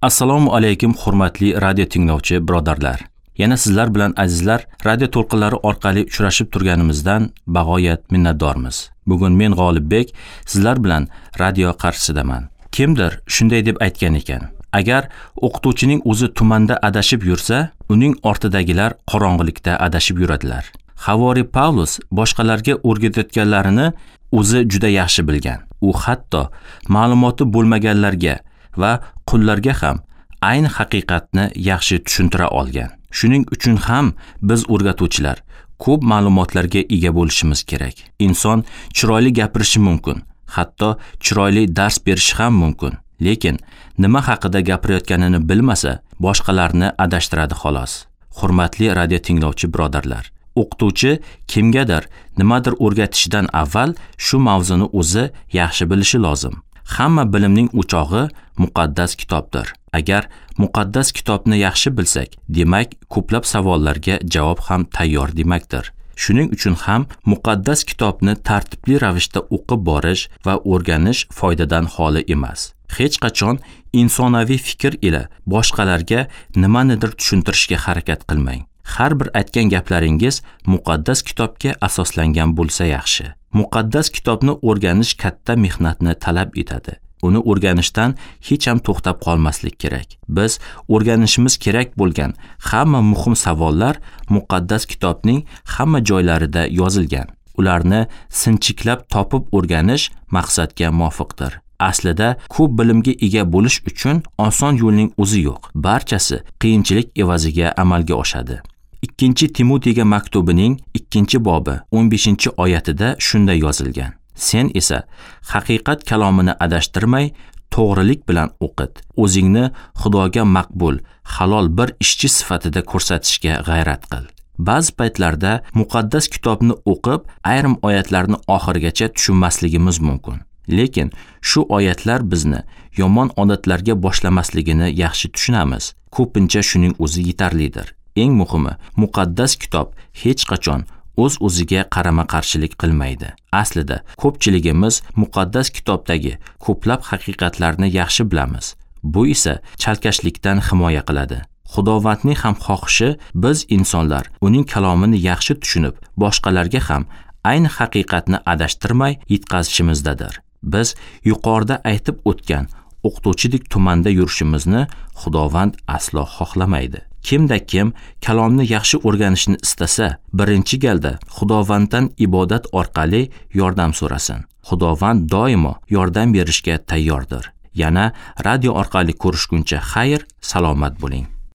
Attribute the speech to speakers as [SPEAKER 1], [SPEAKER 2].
[SPEAKER 1] Assalomu alaykum hurmatli radio tinglovchi birodarlar. Yana sizlar bilan azizlar radio to'lqinlari orqali uchrashib turganimizdan bag'oyat minnatdormiz. Bugun men G'olibbek sizlar bilan radio qarshisidaman. Kimdir shunday deb aytgan ekan: agar o'qituvchining o'zi tumanda adashib yursa, uning ortidagilar qorong'ilikda adashib yuradilar. Havori Pavlus boshqalarga o'rgatayotganlarini o'zi juda yaxshi bilgan. U hatto ma'lumoti bo'lmaganlarga va qullarga ham ayni haqiqatni yaxshi tushuntira olgan. Shuning uchun ham biz o'rgatuvchilar ko'p ma'lumotlarga ega bo'lishimiz kerak. Inson chiroyli gapirishi mumkin, hatto chiroyli dars berishi ham mumkin. Lekin nima haqida gapirayotganini bilmasa, boshqalarni adashtiradi xolos. Hurmatli radio tinglovchi birodarlar, o'qituvchi kimgadir nimadir o'rgatishidan avval shu mavzuni o'zi yaxshi bilishi lozim. Hamma bilimning o'chog'i muqaddas kitobdir. Agar muqaddas kitobni yaxshi bilsak, demak, ko'plab savollarga javob ham tayyor demakdir. Shuning uchun ham muqaddas kitobni tartibli ravishda o'qib borish va o'rganish foydadan xoli emas. Hech qachon insonaviy fikr ila boshqalarga nimanidir tushuntirishga harakat qilmang. Har bir aytgan gaplaringiz muqaddas kitobga asoslangan bo'lsa yaxshi. Muqaddas kitobni o'rganish katta mehnatni talab etadi. Uni o'rganishdan hech ham to'xtab qolmaslik kerak. Biz o'rganishimiz kerak bo'lgan hamma muhim savollar muqaddas kitobning hamma joylarida yozilgan. Ularni sinchiklab topib o'rganish maqsadga muvofiqdir. Aslida ko'p bilimga ega bo'lish uchun oson yo'lning o'zi yo'q. Barchasi qiyinchilik evaziga amalga oshadi. 2 Timotiyga maktubining 2-bobi 15-oyatida shunday yozilgan: Sen esa haqiqat kalomini adashtirmay, to'g'rilik bilan o'qit. O'zingni Xudoga maqbul, halol bir ishchi sifatida ko'rsatishga g'ayrat qil. Ba'zi paytlarda muqaddas kitobni o'qib, ayrim oyatlarni oxirigacha tushunmasligimiz mumkin. Lekin shu oyatlar bizni yomon odatlarga boshlamasligini yaxshi tushunamiz. Ko'pincha shuning o'zi yetarlidir. Eng muhimi, muqaddas kitob hech qachon o'z-o'ziga qarama-qarshilik qilmaydi. Aslida ko'pchiligimiz muqaddas kitobdagi ko'plab haqiqatlarni yaxshi bilamiz. Bu esa chalkashlikdan himoya qiladi. Xudovandning ham xohishi biz insonlar uning kalomini yaxshi tushunib, boshqalarga ham ayni haqiqatni adashtirmay yetkazishimizdadir. Biz yuqorida aytib o'tgan o'qituvchidek tumanda yurishimizni Xudovand aslo xohlamaydi. Kimda kim kalomni yaxshi o'rganishni istasa, birinchi galda Xudovanddan ibodat orqali yordam so'rasin. Xudovand doimo yordam berishga tayyordir. Yana radio orqali ko'rishguncha xayr, salomat bo'ling.